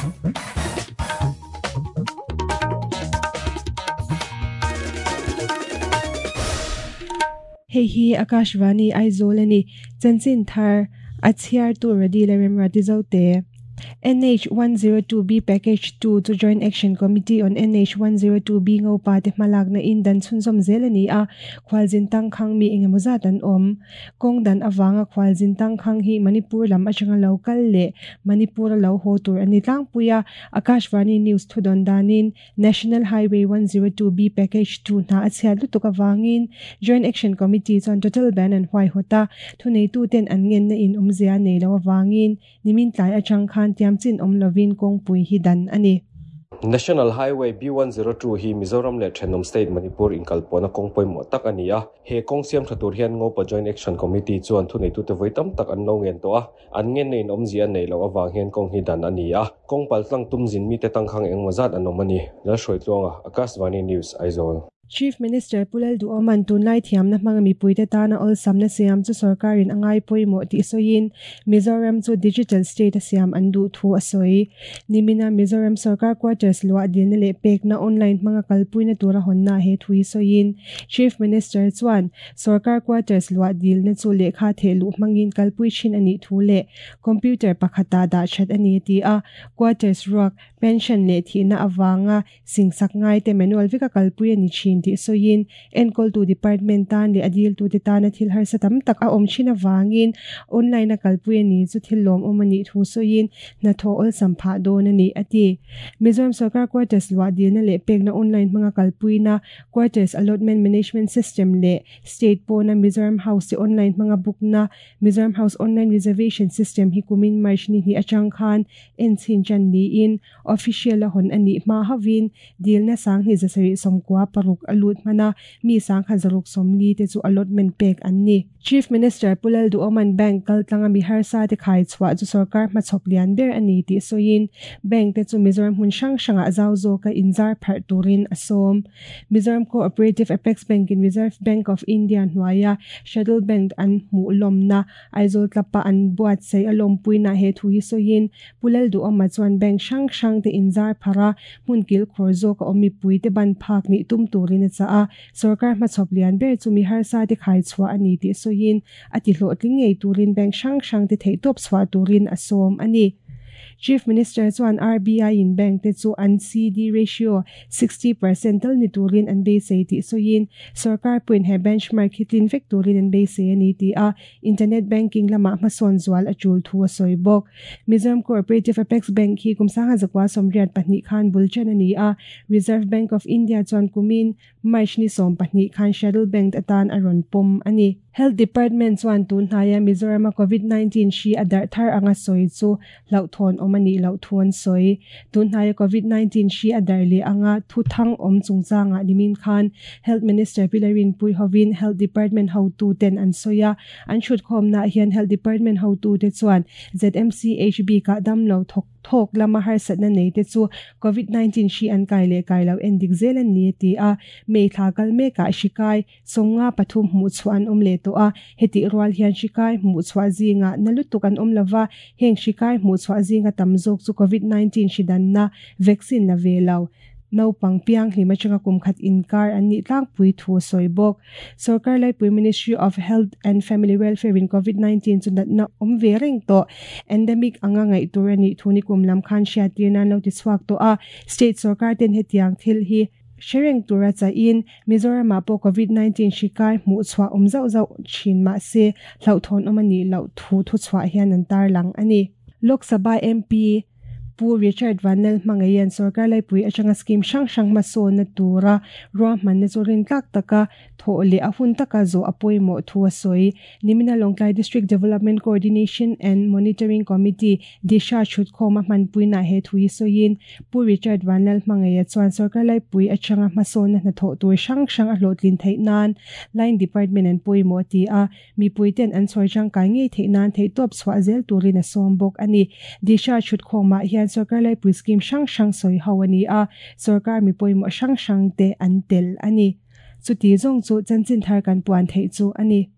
Hei hi Akashvani Aizawl a ni. Chanchin thar a chhiartu Radila Remrati Zote. NH 102B Package 2 chu Joint Action Committee on NH 102B Ngopa te hmalakna in dan chhunzawm zel a ni a, khualzin tangkhang mi engemaw zat an awm. Kawng dan avanga khualzin tangkhang hi Manipur lam atanga lo kal leh Manipur-a lo haw tur a ni tlangpui a, Akashvani News thudawn danin National Highway 102B Package 2 hna a chhiat lutuk avangin Joint Action Committee chuan total ban an huaihawt a, thuneituten an ngenna in awmzia nei lo avangin nimin tlai atang khan tiamchin awm lovin kawngpui hi dan a ni. National Highway B102 hi Mizoram leh thenawm state Manipur inkalpawhna kawng pawimawh tak a ni a. He kawng siam tha tur hian Ngopa Joint Action Committee chuan thuneitute vawi tam tak an lo ngen tawh a. An ngenna in awmzia an neih loh avang hian kawng hi dan a ni a. Kawng paltlang tum zin mite tangkhang engmaw zat an awm a ni. Lalhruaitluanga, Akashvani News, Aizawl. Chief Minister Pu Lalduhawma'n tunlai thiamna hmanga mipuite tana awlsamna siam chu sorkarin a ngai pawimawh tih sawiin Mizoram chu Digital State a siam an duh thu a sawi. Nimina Mizoram sorkar quarters luah dilna leh pekna online hmanga kalpuina tura hawnna he thu hi sawiin Chief Minister chuan sorkar quarters luah dilna chu lehkha theh luh hmangin kalpui thin a nih thu leh computer pakhata dah that a ni a ti a. Quarters ruak, pension leh thihna avanga Singsak ngaite manual veka kalpui a ni thin tih sawiin enkawltu department tan leh a diltute tana thil harsa tam tak a awm thin avangin online a kalpui a ni chu thil lawmawm a nih thu sawiin hnathawh awlsam phah dawn a ni, a ti. Mizoram Sarkar Quarters luah dilna leh pekna online hmanga kalpuina Quarters Allotment Management System leh State pawna Mizoram House te online hmanga book-na Mizoram House Online Reservation System hi kumin March ni hnih atang khan enchhin tan niin Official a hawn a nih hma hauhin dilna sanghnih zasarih 96 a lut hman a, mi sangkhat 140 te chu allotment pek an ni. Chief Minister Pu Lalduhawman Bank kaltlanga mi harsa te khai chhuah chu sorkar hmachhawp lian ber a ni tih sawiin Bank te chu Mizoram hmun hrang hrangah zau zawka inzar pharh turin a sawm. Mizoram Co-operative Apex Bank in Reserve Bank of India hnuaia Schedule Bank an hmuh lawmna Aizawl tlapa an buatsaih a lawmpuina he thu hi sawiin Pu Lalduhawma chuan bank hrang hrang te inzar pharh a, hmun kilkhawr zawk a awm mipui te ban phak nih tum turin a chah a, sorkar hmachhawp lian ber chu mi harsa te khai chhuah a ni tih sawiin a ti hlawhtling ngei turin bank hrang hrang te theihtawp chhuah turin a sawm a ni. Chief Minister chuan RBI in bank te chu an CD ratio 60% tal ni turin an beisei tih sawiin sorkar pawhin he benchmark hi tlin vek turin an beisei a ni ti a, Internet banking lamah hmasawn zual a tul thu a sawi bawk. Mizoram Cooperative Apex Bank hi kum 1982 khan bul chen a ni a, Reserve Bank of India chuan kumin March ni 12 khan Schedule Bank atan a rawn pawm a ni. Health Department chuan tun hnaia Mizorama Covid-19 hri a darh thar anga sawi chu hlauhthawn awm a nih loh thu an sawi. Tun hnaia Covid-19 hri a darh leh anga thu thang awm chungchangah nimin khan Health Minister Pi Larinpui hovin Health Department hotuten an sawi a, an chhutkhawmnaah hian Health Department hotute chuan ZMCH bikah damlo thawk thawk lama harsatna nei te chu Covid-19 hri an kai leh kai lo endik zel an ni a ti a, May thla kal mekah hri kai 53 hmuh chhuah an awm leh tawh a, hetih rual hian hri kai hmuh chhuah zingah na lutuk an awm lova, heng hri kai hmuh chhuah zinga tam zawk chu Covid-19 hri danna vaccine la ve lo, naupang pianghlim atanga kum khat inkar an nih tlangpui thu a sawi bawk. Sorkar Laipui Ministry of Health and Family Welfare in Covid-19 chu natna awm ve reng tawh, endemic anga ngaih tur a nih thu nikum lam khan hriattir nan lo ti chhuak tawh a, state sorkar ten hetiang thil hi Hre reng tura chahin Mizoramah pawh Covid-19 hri kai hmuh chhuah awm zauh zauh thin mah se hlauhthawn awm a nih loh thu thuchhuah hian an tarlang a ni. Lok Sabha MP Pu Richard Vanlal hmangaihian sorkar laipui atanga scheme hrang hrang hmasawnna tura ruahmanna chu rintlak taka thawh leh a hun taka zawh a pawimawh thu a sawi. Nimina Lawngtlai District Development Coordination and Monitoring Committee, Disha, chhutkhawm a hmanpuinaah he thu hi sawiin Pu Richard Vanlal Hmangaia chuan sorkar laipui atanga hmasawnna hnathawh tur hrang hrang a hlawhtlin theih nan Line Department an pawimawh a ti a, mipuiten an chhawr tangkai ngei theih nan theihtawp chhuah zel turin a sawm bawk a ni. Disha chhutkhawmah hian sorkar laipui scheme hrang hrang sawi ho a ni a, sorkar mi pawimawh hrang hrang te an tel a ni. Chuti zawng chu chanchin thar kan puan theih chu a ni.